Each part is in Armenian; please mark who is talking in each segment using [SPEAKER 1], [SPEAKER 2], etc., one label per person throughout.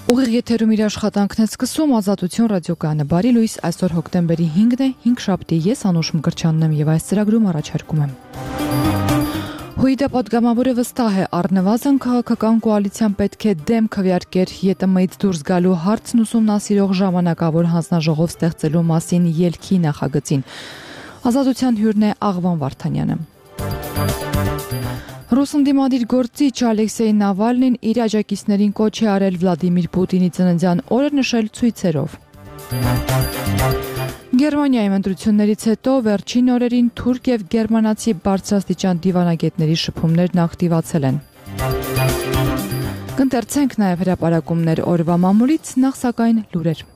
[SPEAKER 1] Ուղիղ եթերում իր աշխատանքն է սկսում Ազատություն ռադիոկայանը։ Բարի լույս, այսօր հոկտեմբերի 5-ն է, 5 շաբթի, ես Անուշ Մկրտչյանն եմ եւ այս ծրագրում առաջարկում եմ։ ՀՅԴ պատգամավորը վստահ է, առնվազն քաղաքական կոալիցիան պետք է դեմ քվեարկեր ԵՏՄ-ից դուրս գալու հարցն ուսումնասիրող ժամանակավոր հանձնաժողով ստեղծելու մասին ելքի նախագծին։ Ազատության հյուրն է Աղվան Վարդանյանը։ Ռուս ընդդիմադիր գործիչ Ալեքսեյ Նավալնին իր աջակիցներին կոչ է արել Վլադիմիր Պուտինի ծննդյան օրը նշել ցույցերով։ Գերմանիայի ընտրություններից հետո վերջին օրերին թուրք եւ գերմանացի բարձրաստիճան դիվանագետների շփումներն ակտիվացել են։ Կընթերցենք նաեւ հրապարակումներ օրվա մամուլից, նախ սակայն լուրեր։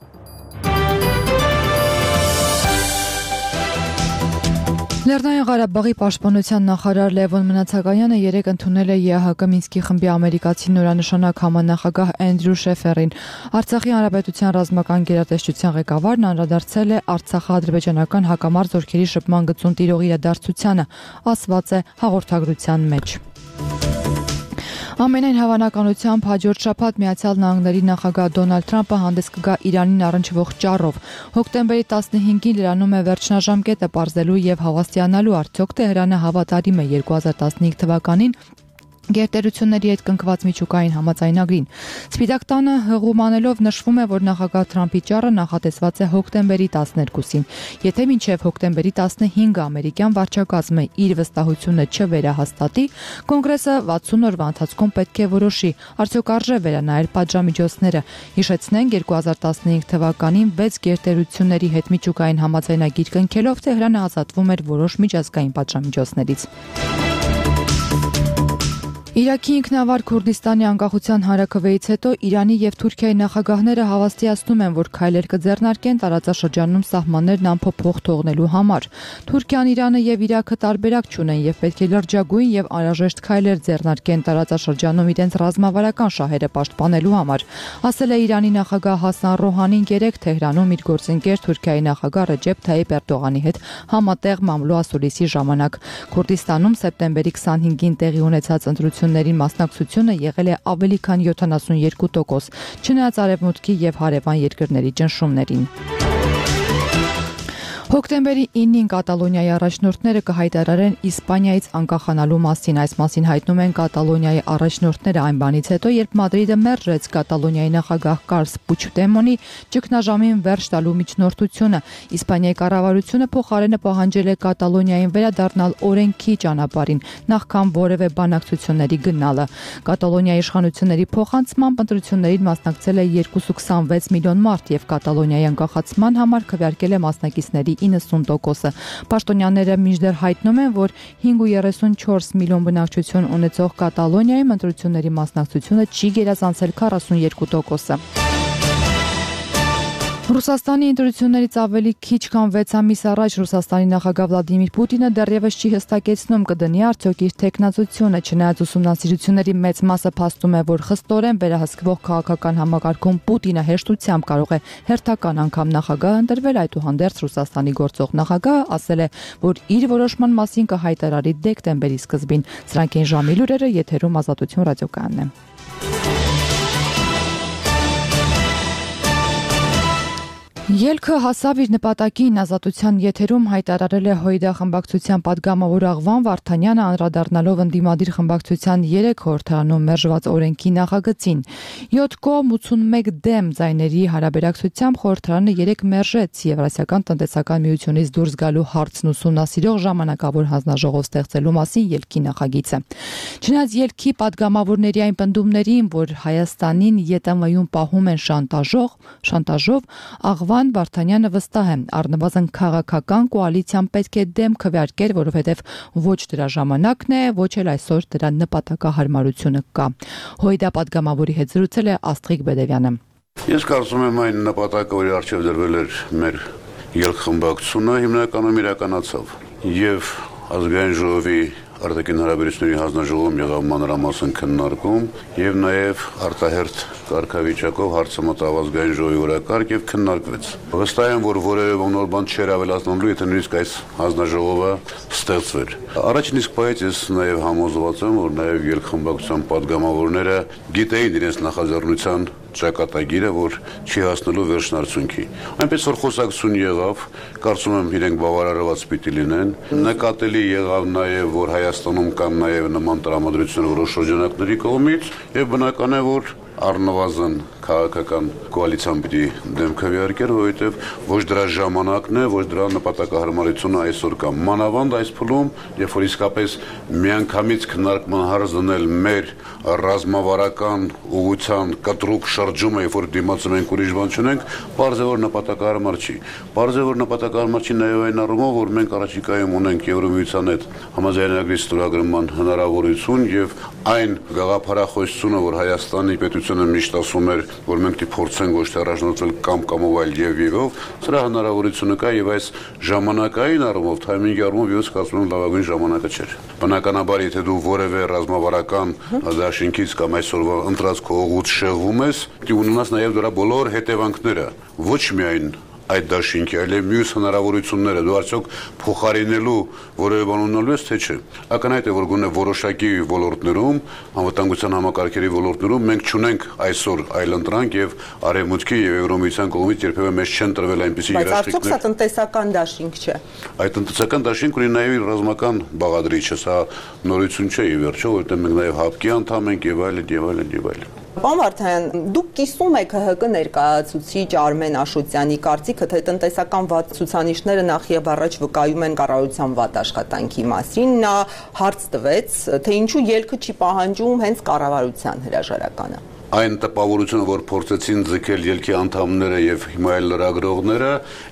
[SPEAKER 1] Լեռնային Ղարաբաղի պաշտպանության նախարար Լևոն Մնացականյանը երեկ ընդունել է ԵԱՀԿ Մինսկի խմբի ամերիկացի նորանշանակ համանախագահ Էնդրյու Շեֆերին։ Արցախի հանրապետության ռազմական գերատեսչության ղեկավարն անդրադարձել է Արցախա-ադրբեջանական հակամարտ զորքերի շփման գծում տիրող իրադարձությանը, ասված է հաղորդագրության մեջ։ Ամենայն հավանականությամբ հաջորդ շաբաթ Միացյալ Նահանգների նախագահ Դոնալդ Թրամփը հանդես կգա Իրանին առնչվող ճառով։ Հոկտեմբերի 15-ին լրանում է վերջնաժամկետը պարզելու եւ հավաստիանալու արդյոք Թեհրանը հավատարիմ է 2015 թվականին գերտերությունների հետ կնքված միջուկային համաձայնագրին։ Սպիտակ տանը հղումանելով նշվում է, որ նախագահ Թրամփի ճառը նախատեսված է հոկտեմբերի 12-ին։ Եթե մինչև հոկտեմբերի 15-ը ամերիկյան վարչակազմը իր վստահությունը չվերահաստատի, կոնգրեսը 60 օրվա ընթացքում պետք է որոշի, արդյոք արժե վերանայել պատժամիջոցները։ Հիշեցնենք, 2015 թվականին 6 գերտերությունների հետ միջուկային համաձայնագիր կնքելով Թեհրանը ազատվում էր որոշ միջազգային պատժամիջոցներից։ Իրաքի ինքնավար Քուրդիստանի անկախության հանրաքվեից հետո Իրանի եւ Թուրքիայի նախագահները հավաստիացնում են, որ քայլեր կձեռնարկեն տարածաշրջանում սահմաններն անփոփոխ թողնելու համար։ Թուրքիան, Իրանը եւ Իրաքը տարբերակ չունեն եւ պետք է լրջագույն եւ անհրաժեշտ քայլեր ձեռնարկեն տարածաշրջանում իրենց ռազմավարական շահերը պաշտպանելու համար, ասել է Իրանի նախագահ Հասան Ռոհանին երեկ Թեհրանում իր գործընկեր Թուրքիայի նախագահ Ռեջեփ Թայիպ Էրդողանի հետ համատեղ մամլո ասուլիսի ժամանակ։ Քուրդիստանում սեպտեմբերի 25-ին տեղի ունեցած ընտրությունների մասնակցությունը եղել է ավելի քան 72%, չնայած արևմուտքի եւ հարևան երկրների ճնշումներին։ Հոկտեմբերի 9-ին Կատալոնիայի առաջնորդները կհայտարարեն Իսպանիայից անկախանալու մասին։ Այս մասին հայտնում են Կատալոնիայի առաջնորդները այն բանից հետո, երբ Մադրիդը մերժեց Կատալոնիայի նախագահ Կարլս Պուչդեմոնի ճգնաժամին վերջ տալու միջնորդությունը։ Իսպանիայի կառավարությունը փոխարենը պահանջել է Կատալոնիային վերադառնալ օրենքի ճանապարհին, նախքան որևէ բանակցությունների գնալը։ Կատալոնիայի իշխանությունների փոխանցմամբ ընտրություններին մասնակցել է 2.26 միլիոն մարդ եւ Կատալոնիայի անկախացման համար քվեարկել է մասնակիցների 90%-ը։ Պաշտոնյաները մինչդեռ հայտնում են, որ 5.34 միլիոն բնակչություն ունեցող Կատալոնիայում ընտրությունների մասնակցությունը չի գերազանցել 42%-ը։ Ռուսաստանի ընտրություններից ավելի քիչ քան 6 ամիս առաջ Ռուսաստանի նախագահ Վլադիմիր Պուտինը դեռևս չի հստակեցնում կդնի արդյոք իր թեկնածությունը, չնայած ուսումնասիրությունների մեծ մասը փաստում է, որ խստորեն վերահսկվող քաղաքական համակարգում Պուտինը հեշտությամբ կարող է հերթական անգամ նախագահ ընտրվել, այդուհանդերձ Ռուսաստանի գործող նախագահը ասել է, որ իր որոշման մասին կհայտարարի դեկտեմբերի սկզբին։ Սրանք են ժամի լուրերը, եթերում Ազատություն ռադիոկայանն է։ Ելքը հասավ իր նպատակին, Ազատության եթերում հայտարարել է ՀՅԴ խմբակցության պատգամավոր Աղվան Վարդանյանը, անդրադառնալով ընդդիմադիր խմբակցության 3 խորհրդարանում մերժված օրենքի նախագծին։ 7 կողմ 81 դեմ ձայների հարաբերակցությամբ խորհրդարանը 3 մերժեց Եվրասիական տնտեսական միությունից դուրս գալու հարցն ուսումնասիրող ժամանակավոր հանձնաժողով ստեղծելու մասին ելքի նախագիծը։ Չնայած ելքի պատգամավորների այն պնդումներին, որ Հայաստանին ԵՏՄ-ում պահում են շանտաժով, Աղվան Վարդանյանը վստահ է, առնվազն քաղաքական կոալիցիան պետք է դեմ քվեարկեր, որովհետև ոչ դրա ժամանակն է, ոչ էլ այսօր դրա նպատակահարմարությունը կա։ ՀՅԴ պատգամավորի հետ զրուցել է Աստղիկ Բեդևյանը։
[SPEAKER 2] Ես կարծում եմ այն նպատակը, որի առջև դրվել էր մեր ելքխմբակցությունը, հիմնականում իրականացավ։ Եվ ազգային ժողովի արտաքին հարաբերությունների հանձնաժողովում եղավ մանրամասն քննարկում եւ նաեւ արտահերթ կարգավիճակով հարցը մտավ ազգային ժողովի օրակարգ եւ քննարկվեց։ Վստահ եմ, որ որևէ նոր բան չէր ավելացնելու, եթե նույնիսկ այս հանձնաժողովը ստեղծվեր։ Առաջին իսկ պահից ես նաեւ համոզված եմ, որ նաեւ ելքխմբակցության падգամավորները գիտեին իրենց նախաձեռնության ճակատագիրը, որ չի հասնելու վերջնարդյունքի։ Այնպես որ խոսակցություն եղավ, կարծում եմ իրենք բավարարված պիտի լինեն։ Նկատելի եղավ նաև, որ Հայաստանում կան նաև նման տրամադրություններ որոշ շրջանակների կողմից, եւ բնական է, որ առնվազն քաղաքական կոալիցիան պիտի դեմքը վիարկեր, որովհետև ոչ դրա ժամանակն է, ոչ դրա նպատակահարմարությունը այսօր կա։ Մանավանդ այս փուլում, երբ որ իսկապես միանգամից քննարկման հարց դնել մեր ռազմավարական ուղղության կտրուկ շրջումը, երբ որ դիմացում ենք ուրիշ բան չունենք, պարզ է, որ նպատակահարմար չի։ Պարզ է, որ նպատակահարմար չի նաև այն առումով, որ մենք առաջիկայում ունենք Եվրոմիության հետ համաձայնագրի ստորագրման հնարավորություն եւ այն գաղափարախոսությունը, որ Հայաստանի պետությունը միշտ ասում էր, որ մենք դի փորձենք ոչ թե առաջնորդվել կամ այլ եւ սրա հնարավորությունը կա եւ այս ժամանակային առումով, թայմինգի առումով ես կարծում եմ լավագույն ժամանակը չէր։ Բնականաբար, եթե դու որևէ ռազմավարական դաշինքից կամ այսօրվա ընտրածքո ուղուց շեղվում ես, դու ունենաս նաեւ դրա բոլոր հետևանքները, ոչ միայն այդ դաշինքի, այլև մյուս հնարավորությունները դու արդյոք փոխարինելու որևէ բան ունենալու ես, թե չէ։ Ակնհայտ է, որ գոնե որոշակի ոլորտներում, անվտանգության համակարգերի ոլորտներում մենք չունենք այսօր այլընտրանք եւ արևմուտքի եւ Եվրոմիության կողմից երբեւէ մեզ չեն տրվել այնպիսի երաշխիքներ։
[SPEAKER 3] Բայց արդյոք սա տնտեսական դաշինք չէ։
[SPEAKER 2] Այդ տնտեսական դաշինք ունի նաեւ ռազմական բաղադրիչը, սա նորություն չէ ի վերջո, որովհետեւ մենք նաեւ ՀԱՊԿ-ի անդամ ենք եւ այլն։
[SPEAKER 3] Պարոն Վարդանյան, դուք կիսում եք ՀՀԿ ներկայացուցիչ Արմեն Աշոտյանի կարծիքը, թե տնտեսական վատ ցուցանիշները նախ եւ առաջ վկայում են կառավարության վատ աշխատանքի մասին։ Նա հարց տվեց, թե ինչու ելքը չի պահանջում հենց կառավարության հրաժարականը։
[SPEAKER 2] Այն տպավորությունը, որ փորձեցին ձգել ելքի անդամները եւ հիմա այլ լրագրողները,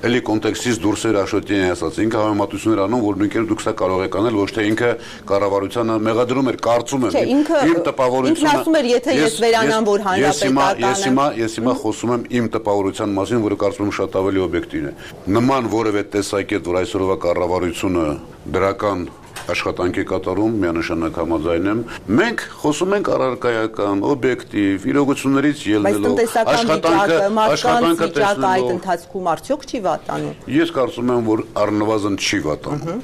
[SPEAKER 2] ելի կոնտեքստից դուրս էր Աշոտյանի ասած։ Ինքը համեմատություններ անում, որ նույնքեր դուք սա կարող եք անել, ոչ թե ինքը կառավարությանը մեղադրում էր, կարծում եմ։
[SPEAKER 3] Իմ տպավորությունը։ Ինքն ասում էր, եթե ես վերանամ, որ հանրապետականը։
[SPEAKER 2] Ես հիմա խոսում եմ իմ տպավորության մասին, որը կարծում եմ շատ ավելի օբյեկտիվ է։ Նման որևէ տեսակետ, որ այսօրվա կառավարությունը դրական աշխատանքի կատարում միանշանակ համաձայն եմ։ Մենք խոսում ենք առարկայական, օբյեկտիվ, իրողություններից ելնելով,
[SPEAKER 3] աշխատանքը այդ ընթացքում արդյոք չի վատանում։
[SPEAKER 2] Ես կարծում եմ, որ առնվազն չի վատանում։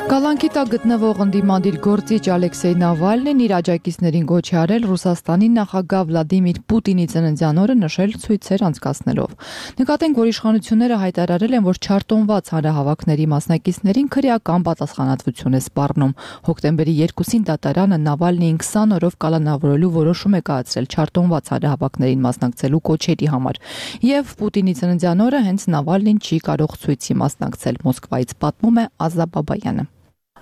[SPEAKER 1] Կալանքի տակ գտնվող ընդդիմադիր գործիչ Ալեքսեյ Նավալնին իր աջակիցներին գոչ է արել Ռուսաստանի նախագահ Վլադիմիր Պուտինի ծննդյան օրը նշել ցույցեր անցկացնելով։ Նկատենք, որ իշխանությունները հայտարարել են, որ չարտոնված հանրահավաքների մասնակիցներին քրեական պատասխանատվություն է սպառնում։ Հոկտեմբերի 2-ին դատարանը Նավալնիին 20 օրով կալանավորելու որոշում է կայացրել չարտոնված հանրահավաքներին մասնակցելու կոչերի համար։ Եվ Պուտինի ծննդյան օրը հենց Նավալնին չի կարող ցույցի մասնակցել։ Մոսկվայից պատմում է Ազա Բաբայանը։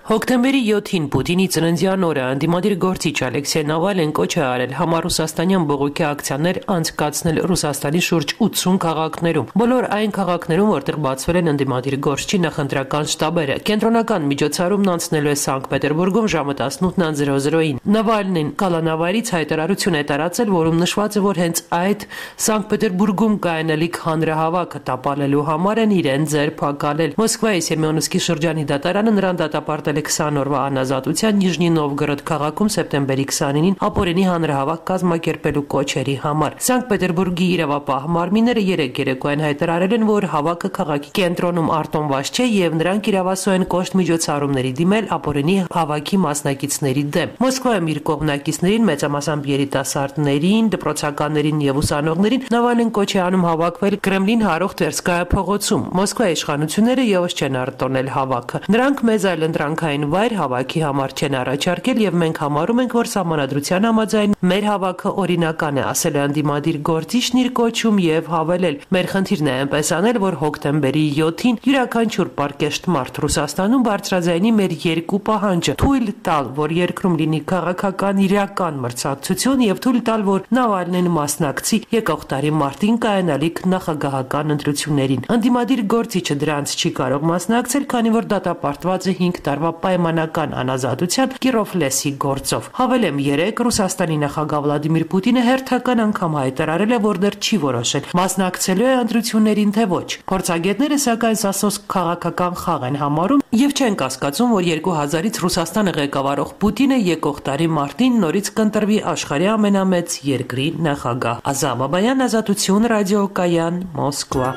[SPEAKER 4] Հոկտեմբերի 7-ին Պուտինի ծննդյան օրը ընդդիմադիր գործիչ Ալեքսեյ Նավալնին կոչ է արել համառուսաստանյան բողոքի ակցիաներ անցկացնել Ռուսաստանի շուրջ 80 քաղաքներում։ Բոլոր այն քաղաքներում, որտեղ բացվել են ընդդիմադիր գործչի նախընտրական շտաբերը։ Կենտրոնական միջոցառումն անցնելու է Սանկտ Պետերբուրգում ժամը 18:00-ին։ Նավալնին կալանավայրից հայտարարություն է տարածել, որում նշված է, որ հենց այդ Սանկտ Պետերբուրգում կայանալիք հանրահավաքը տապալելու համար են իրեն ձերբակալել։ Մոսկվայի Սեմյոնովսկի շրջանի դատարանը նրան դատապարտել 20 օրվա անազատության Նիժնի Նովգորոդ քաղաքում սեպտեմբերի 29-ին ապօրինի հանրահավաք կազմակերպելու կոչերի համար։ Սանկտ Պետերբուրգի իրավապահ մարմինները երեկ երեկոյան հայտարարել են, որ հավաքը քաղաքի կենտրոնում արտոնված չէ եւ նրանք իրավասու են կոշտ միջոցառումների դիմել ապօրինի հավաքի մասնակիցների դեմ։ Մոսկվայում իր կողմնակիցներին, մեծամասամբ երիտասարդներին, դպրոցականներին եւ ուսանողներին Նավալնին կոչ է անում հավաքվել Կրեմլին հարող Տվերսկայա փողոցում։ Մոսկվայի իշխանությունները եւս չեն արտոնել հավաքը։ Նրանք մեծ այլընտրանքային վայր հավաքի համար չեն առաջարկել եւ մենք համարում ենք, որ սահմանադրության համաձայն մեր հավաքը օրինական է, ասել է ընդդիմադիր գործիչն իր կոչում եւ հավելել. Մեր խնդիրն է այնպես անել, որ հոկտեմբերի 7-ին յուրաքանչյուր պարկեշտ մարդ Ռուսաստանում բարձրաձայնի մեր երկու պահանջը՝ թույլ տալ, որ երկրում լինի քաղաքական իրական մրցակցություն եւ թույլ տալ, որ Նավալնին մասնակցի եկող տարի մարտին կայանալիք նախագահական ընտրություններին։ Ընդդիմադիր գործիչը դրանց չի կարող մասնակցել, քանի որ դատապարտված է 5 տարվա պայմանական անազատության Կիրովլեսի գործով։ Հավելեմ, 3 Ռուսաստանի նախագահ Վլադիմիր Պուտինը հերթական անգամ հայտարարել է, որ դեռ չի որոշել մասնակցելու է ընտրություններին թե ոչ։ Փորձագետները սակայն սասոս քաղաքական խաղ են համարում եւ չեն կասկածում, որ 2000-ից Ռուսաստանը ղեկավարող Պուտինը եկող տարի մարտին նորից կընտրվի աշխարհի ամենամեծ երկրի նախագահ։ Ազա Բաբայան, Ազատություն, ռադիոկայան, Մոսկվա։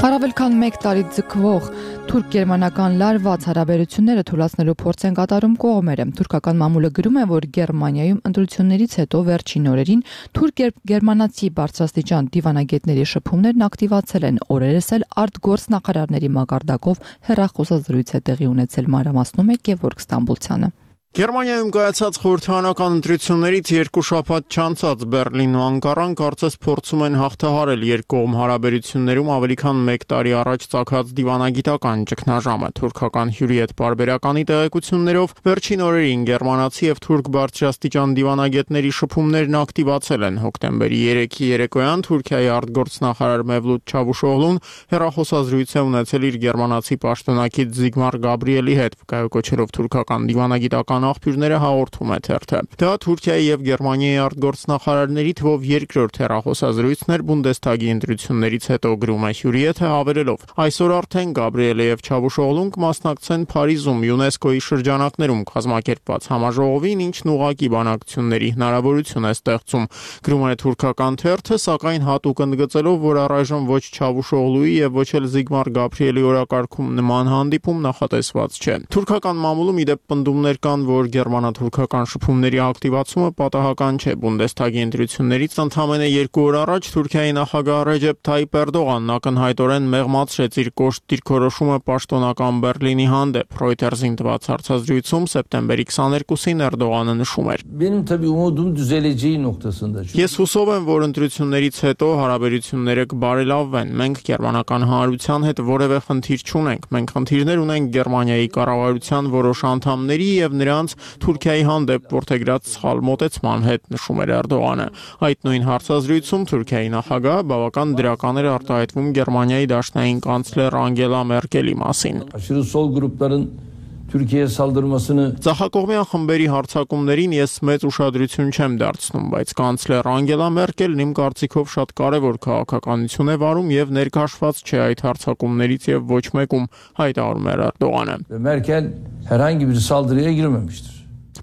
[SPEAKER 1] Առավել քան 1 տարի ձգվող թուրք-գերմանական լարված հարաբերությունները թույլատնելու փորձ են կատարում կողմերը։ Թուրքական մամուլը գրում է, որ Գերմանիայում ընտրություններից հետո վերջին օրերին թուրք-գերմանացի բարձրաստիճան դիվանագետների շփումներն ակտիվացել են։ Օրերս էլ արտգործնախարարների մակարդակով հեռախոսազրույց է տեղի ունեցել, մանրամասնում է Գևորգ Ստամբուլցյանը։
[SPEAKER 5] Գերմանիայում կայացած խորհրդարանական ընտրություններից 2 շաբաթ չանցած Բեռլինն ու Անկարան կարծես փորձում են հաղթահարել երկկողմ հարաբերություններում ավելի քան 1 տարի առաջ ծագած դիվանագիտական ճգնաժամը։ Թուրքական հյուրի հետ պարբերականի տեղեկություններով վերջին օրերին գերմանացի եւ թուրք բարձրաստիճան դիվանագետների շփումներն ակտիվացել են։ Հոկտեմբերի 3-ի երեկոյան Թուրքիայի արտգործնախարար Մևլութ Չավուշօղլուն հեռախոսազրույց է ունեցել իր գերմանացի պաշտոնակից Զիգմար Գաբրիելի հետ, վկայակոչելով թուրքական դիվանագիտական աղբյուրները հաղորդում է թերթը։ Դա Թուրքիայի եւ Գերմանիայի արտգործնախարարների թվով երկրորդ հեռախոսազրույցն էր Բունդեսթագի ընտրություններից հետո, գրում է հյուրի հետ հավելելով. Այսօր արդեն Գաբրիելը եւ Չավուշօղլուն կմասնակցեն Փարիզում ՅՈՒՆԵՍԿՕ-ի շրջանակներում կազմակերպված համաժողովին, ինչն ուղղակի բանակցությունների հնարավորություն է ստեղծում, գրում է թուրքական թերթը, սակայն հատուկ ընդգծելով, որ առայժմ ոչ Չավուշօղլուի եւ ոչ էլ Զիգմար Գաբրիելի օրակարգում նման հանդիպում նախատեսված չէ։ Թուրքական մամուլում իդեպ պնդումներ կան, որ գերմանա-թուրքական շփումների ակտիվացումը պատահական չէ։ Բունդեսթագի ընտրություններից ընդամենը 2 օր առաջ Թուրքիայի նախագահ Ռեջեփ Թայիփ Էրդողանն ակնհայտորեն մեղմացրեց իր կոշտ դիրքորոշումը պաշտոնական Բեռլինի հանդեպ։ Reuters-ին տված հարցազրույցում սեպտեմբերի 22-ին Էրդողանը նշում էր. Ես հուսով եմ, որ ընտրություններից հետո հարաբերությունները կբարելավվեն։ Մենք գերմանական հանրության հետ որևէ խնդիր չունենք։ Մենք խնդիրներ ունենք Գերմանիայի կառավարության որոշ անդամների եւ նրանց Թուրքիայի հանդեպ որդեգրած սխալ մոտեցման հետ, նշում էր Էրդողանը։ Այդ նույն հարցազրույցում Թուրքիայի նախագահը բավական դրական էր արտահայտվում Գերմանիայի դաշնային կանցլեր Անգելա Մերկելի մասին։ Թուրքիայի սալդրմասını Ցախակողմյան խմբերի հարձակումներին ես մեծ ուշադրություն չեմ դարձնում, բայց կանցլեր Անգելա Մերկելն իմ կարծիքով շատ կարևոր քաղաքականություն է վարում եւ ներքաշված չէ այդ հարձակումներից եւ ոչ մեկում, հայտարարում էր Էրդողանը։ Մերկել herhangi bir saldırıya girmemiştir։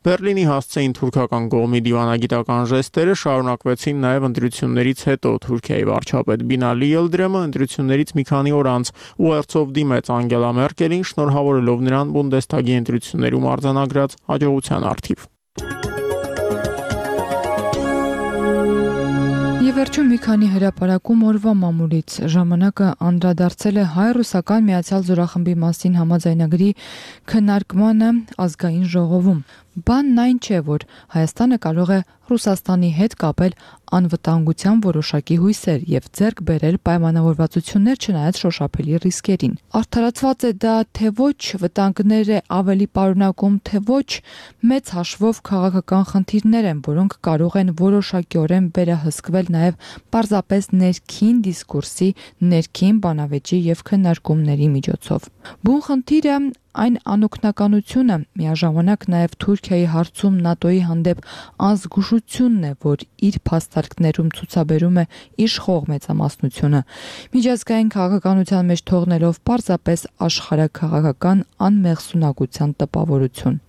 [SPEAKER 5] Բեռլինի հասցեին թուրքական կողմի դիվանագիտական ժեստերը շարունակվեցին նաև ընտրություններից հետո։ Թուրքիայի վարչապետ Բինալի Ելդրեմը ընտրություններից մի քանի օր անց ուղերձով դիմեց Անգելա Մերկելին, շնորհավորելով նրան Բունդեսթագի ընտրություններում արձանագրած հաջողության առթիվ։
[SPEAKER 1] Եվ վերջում մի քանի հրապարակում օրվա մամուլից ժամանակը անդրադարձել է հայ-ռուսական Միացյալ զորախմբի մասին համաձայնագրի քննարկմանը ազգային ժողովում։ Բանն այն չէ, որ Հայաստանը կարող է Ռուսաստանի հետ կապել անվտանգության որոշակի հույսեր եւ ձեռք բերել պայմանավորվածություններ չնայած շոշափելի ռիսկերին։ Արդարացված է դա թե ոչ, վտանգները ավելի պարունակում թե ոչ, մեծ հաշվով քաղաքական խնդիրներ են, որոնք կարող են որոշակիորեն վերահսկվել նաեւ պարզապես ներքին դիսկուրսի, ներքին բանավեճի եւ քննարկումների միջոցով։ Բուն խնդիրը այն անօգնականությունը, միաժամանակ նաև Թուրքիայի հարցում ՆԱՏՕ-ի հանդեպ անզգուշությունն է, որ իր փաստարկներում ցուցաբերում է իշխող մեծամասնությունը, միջազգային քաղաքականության մեջ թողնելով պարզապես աշխարհաքաղաքական անմեղսունակության տպավորություն։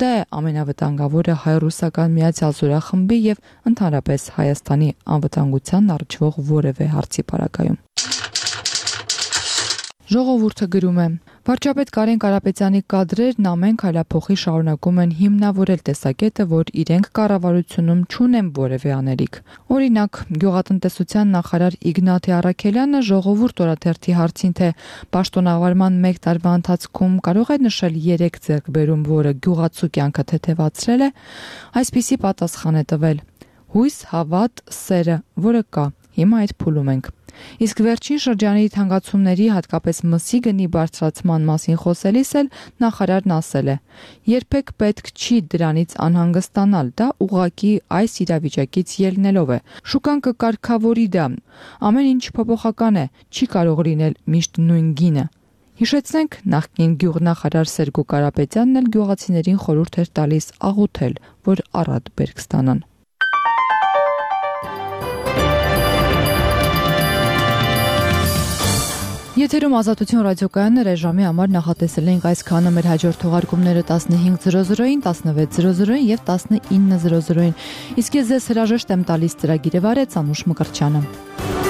[SPEAKER 1] Դա է ամենավտանգավորը հայ-ռուսական Միացյալ զորախմբի եւ ընդհանրապես Հայաստանի անվտանգության առնչվող որևէ հարցի պարագայում։ Ժողովուրդը գրում է. Վարչապետ Կարեն Կարապետյանի կադրերն ամեն քայլափոխի շարունակում են հիմնավորել տեսակետը, որ իրենք կառավարությունում չունեն որևէ անելիք։ Օրինակ, գյուղատնտեսության նախարար Իգնատի Առաքելյանը Ժողովուրդ օրաթերթի հարցին, թե պաշտոնավարման 1 տարվա ընթացքում կարող է նշել 3 ձեռքբերում, որը գյուղացու կյանքը թեթևացրել է, այսպիսի պատասխան է տվել. հույս, հավատ, սերը, որը կա։ Հիմա այդ փուլում ենք։ Իսկ վերջին շրջանի թանկացումների, հատկապես մսի գնի բարձրացման մասին խոսելիս էլ նախարարն ասել է. երբեք պետք չի դրանից անհանգստանալ, դա ուղղակի այս իրավիճակից ելնելով է։ Շուկան կկարգավորի դա։ Ամեն ինչ փոփոխական է, չի կարող լինել միշտ նույն գինը։ Հիշեցնենք, նախկին գյուղնախարար Սերգո Կարապետյանն էլ գյուղացիներին խորհուրդ էր տալիս աղոթել, որ առատ բերք ստանան։ Եթերում Ազատություն ռադիոկայանն ռեժիմի համար նախատեսել ենք այսքանը, մեր հաջորդ թողարկումները 15:00-ին, 16:00-ին եւ 19:00-ին։ Իսկ ես ձեզ հրաժեշտ եմ տալիս ծրագիրը վարեց Անուշ Մկրտչյանը։